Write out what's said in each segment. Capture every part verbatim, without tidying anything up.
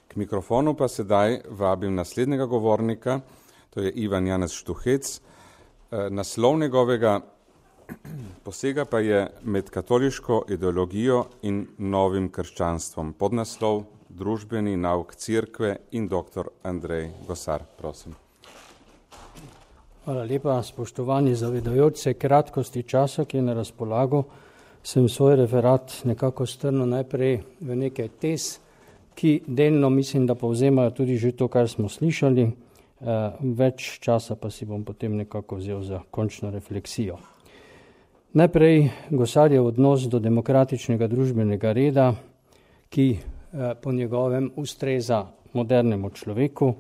K mikrofonu pa sedaj vabim naslednjega govornika, to je Ivan Janez Štuhec. Naslov njegovega posega pa je Med katoliško ideologijo in novim krščanstvom. Podnaslov Družbeni nauk Cerkve in doktor Andrej Gosar. Prosim. Hvala lepa, spoštovani zavedajoč se kratkosti časa, ki je na razpolago. Sem svoj referat nekako strnil najprej v nekaj tez, ki delno mislim, da povzemajo tudi že to, kar smo slišali. Več časa pa si bom potem nekako vzel za končno refleksijo. Najprej Gosarjev odnos do demokratičnega družbenega reda, ki po njegovem ustreza modernemu človeku.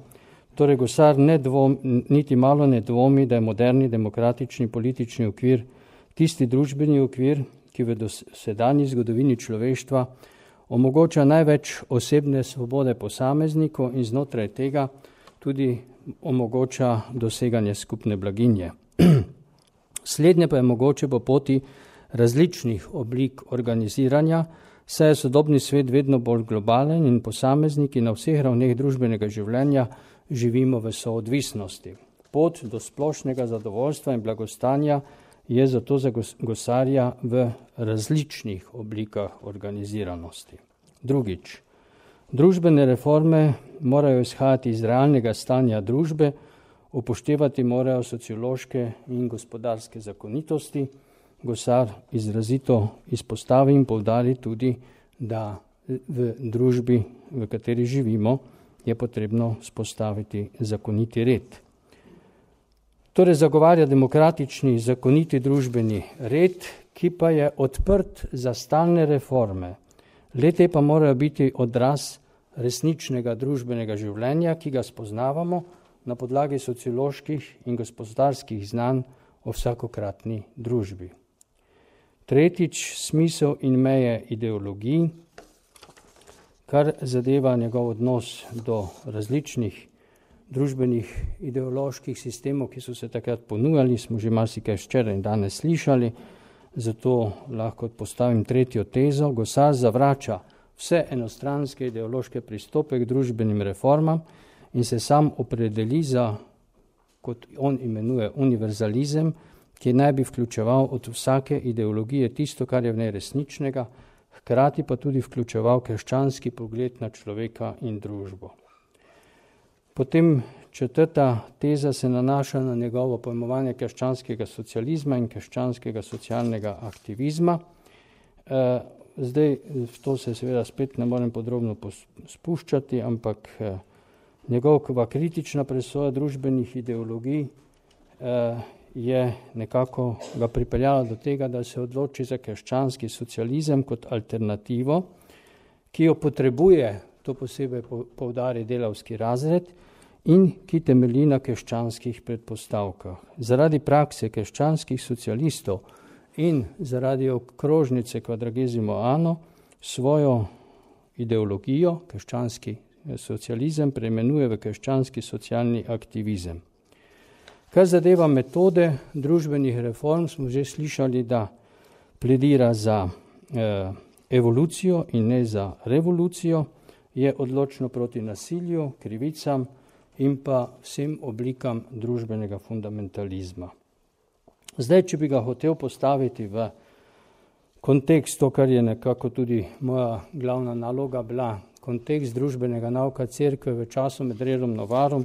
Torej Gosar ne dvom, niti malo ne dvomi, da je moderni demokratični politični okvir tisti družbeni okvir, ki v dosedanji zgodovini človeštva omogoča največ osebne svobode posamezniku in znotraj tega tudi omogoča doseganje skupne blaginje. Slednje pa je mogoče po poti različnih oblik organiziranja, saj je sodobni svet vedno bolj globalen in posamezniki na vseh ravneh družbenega življenja živimo v soodvisnosti. Pot do splošnega zadovoljstva in blagostanja je zato za Gosarja v različnih oblikah organiziranosti. Drugič, družbene reforme morajo izhajati iz realnega stanja družbe, upoštevati morajo sociološke in gospodarske zakonitosti. Gosar izrazito izpostavi in poudari tudi, da v družbi, v kateri živimo, je potrebno spostaviti zakoniti red. Torej zagovarja demokratični, zakoniti družbeni red, ki pa je odprt za stalne reforme. Le-te pa morajo biti odraz resničnega družbenega življenja, ki ga spoznavamo na podlagi socioloških in gospodarskih znanj o vsakokratni družbi. Tretjič, smisel in meje ideologij, kar zadeva njegov odnos do različnih družbenih ideoloških sistemov, ki so se takrat ponujali, smo že marsikaj včeraj in danes slišali, zato lahko postavim tretjo tezo. Gosar zavrača vse enostranske ideološke pristope k družbenim reformam in se sam opredeli za, kot on imenuje, univerzalizem, ki naj bi vključeval od vsake ideologije tisto, kar je v njej resničnega, hkrati pa tudi vključeval krščanski pogled na človeka in družbo. Potem četrta teza se nanaša na njegovo pojmovanje krščanskega socializma in krščanskega socialnega aktivizma. Zdaj, v to se seveda spet ne morem podrobno spuščati, ampak njegova kritična presoja družbenih ideologij je nekako ga pripeljala do tega, da se odloči za krščanski socializem kot alternativo, ki jo potrebuje, to posebej poudari delavski razred, in ki temelji na krščanskih predpostavkah. Zaradi prakse krščanskih socialistov in zaradi okrožnice Quadragesimo Anno svojo ideologijo, krščanski socializem, preimenuje v krščanski socialni aktivizem. Kar zadeva metode družbenih reform, smo že slišali, da pledira za eh, evolucijo in ne za revolucijo, je odločno proti nasilju, krivicam in pa vsem oblikam družbenega fundamentalizma. Zdaj, če bi ga hotel postaviti v kontekst, to, kar je nekako tudi moja glavna naloga bila, kontekst družbenega nauka Cerkve v času med Rerum Novarum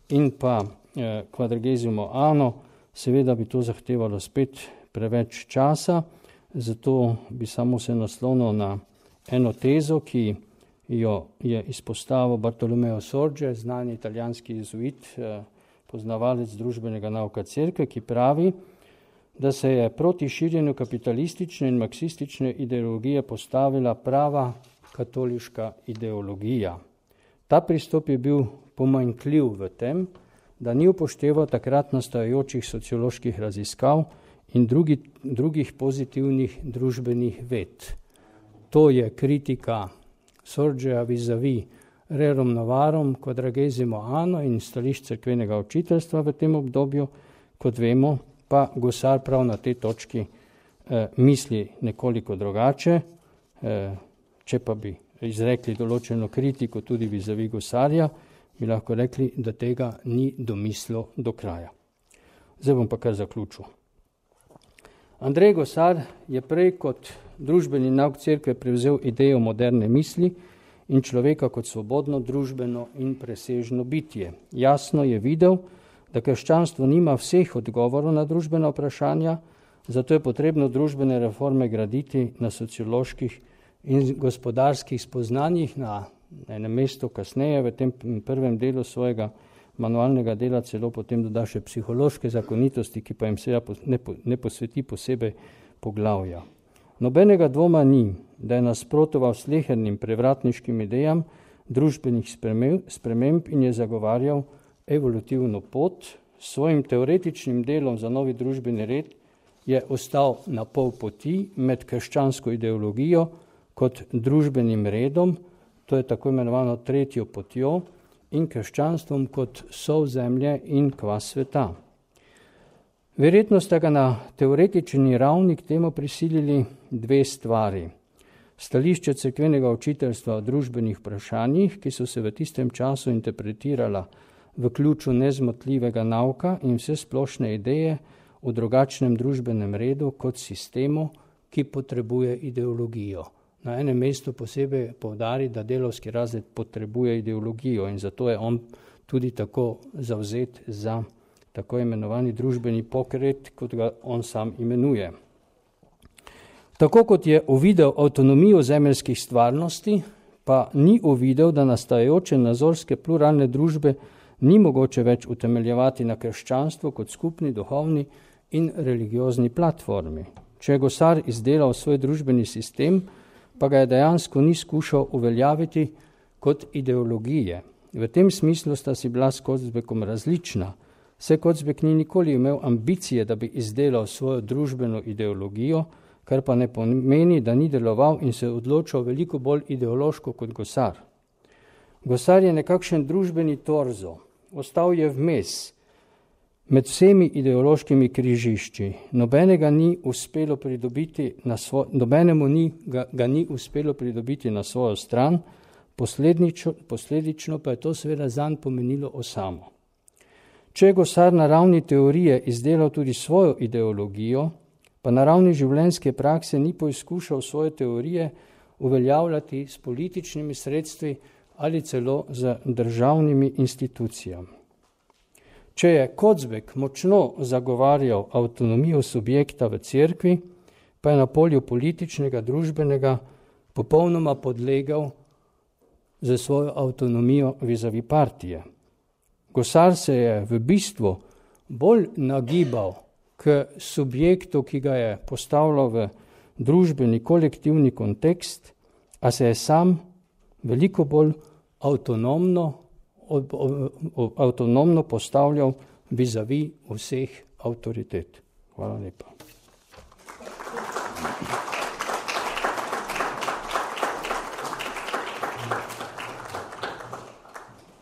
in pa eh, Quadragesimo Anno, seveda bi to zahtevalo spet preveč časa, zato bi samo se naslonil na eno tezo, ki jo je izpostavil Bartolomeo Sorge, znani italijanski jezuit, poznavalec družbenega nauka Cerkve, ki pravi, da se je proti širjenju kapitalistične in marksistične ideologije postavila prava katoliška ideologija. Ta pristop je bil pomanjkljiv v tem, da ni upošteval takrat nastajajočih socioloških raziskav in drugi, drugih pozitivnih družbenih ved. To je kritika Sorgea vis-a-vis Rerum Novarum, Quadragesimo Anno in stališč cerkvenega učiteljstva v tem obdobju, kot vemo, pa Gosar prav na tej točki eh, misli nekoliko drugače, eh, če pa bi izrekli določeno kritiko tudi vizavi Gosarja, bi lahko rekli, da tega ni domislil do kraja. Zdaj bom pa kar zaključil. Andrej Gosar je prej kot družbeni nauk cerkve prevzel idejo moderne misli in človeka kot svobodno, družbeno in presežno bitje. Jasno je videl, da krščanstvo nima vseh odgovorov na družbena vprašanja, zato je potrebno družbene reforme graditi na socioloških in gospodarskih spoznanjih. Na enem mestu kasneje, v tem prvem delu svojega manualnega dela, celo potem doda še psihološke zakonitosti, ki pa jim seveda ne, ne posveti posebej poglavja. Nobenega dvoma ni, da je nasprotoval slehernim prevratniškim idejam družbenih sprememb in je zagovarjal evolutivno pot. S svojim teoretičnim delom za novi družbeni red je ostal na pol poti med krščansko ideologijo kot družbenim redom, to je tako imenovano tretjo potjo, in krščanstvom kot sol zemlje in kvas sveta. Verjetno sta ga na teoretični ravni k temu prisilili dve stvari. Stališče cerkvenega učiteljstva o družbenih vprašanjih, ki so se v tistem času interpretirala v ključu nezmotljivega nauka in vse splošne ideje o drugačnem družbenem redu kot sistemu, ki potrebuje ideologijo. Na enem mestu posebej poudari, da delavski razred potrebuje ideologijo in zato je on tudi tako zavzet za tako imenovani družbeni pokret, kot ga on sam imenuje. Tako kot je uvidel avtonomijo zemeljskih stvarnosti, pa ni uvidel, da nastajajoče nazorske pluralne družbe ni mogoče več utemeljevati na krščanstvu kot skupni duhovni in religiozni platformi. Če je Gosar izdelal svoj družbeni sistem, pa ga je dejansko ni skušal uveljaviti kot ideologije. V tem smislu sta si bila s Kocbekom različna. Saj Kocbek ni nikoli imel ambicije, da bi izdelal svojo družbeno ideologijo, kar pa ne pomeni, da ni deloval in se odločal veliko bolj ideološko kot Gosar. Gosar je nekakšen družbeni torzo, ostal je vmes med vsemi ideološkimi križišči. Nobenega ni uspelo pridobiti na svo, nobenemu ni, ga, ga ni uspelo pridobiti na svojo stran, posledično, posledično pa je to seveda zanj pomenilo osamo. Če je Gosar na ravni teorije izdelal tudi svojo ideologijo, pa na ravni življenjske prakse ni poizkušal svoje teorije uveljavljati s političnimi sredstvi ali celo z državnimi institucijami. Če je Kocbek močno zagovarjal avtonomijo subjekta v cerkvi, pa je na polju političnega, družbenega popolnoma podlegal za svojo avtonomijo vizavi partije. Gosar se je v bistvu bolj nagibal k subjektu, ki ga je postavljal v družbeni kolektivni kontekst, a se je sam veliko bolj avtonomno avtonomno postavljal vizavi vseh avtoritet. Hvala lepa.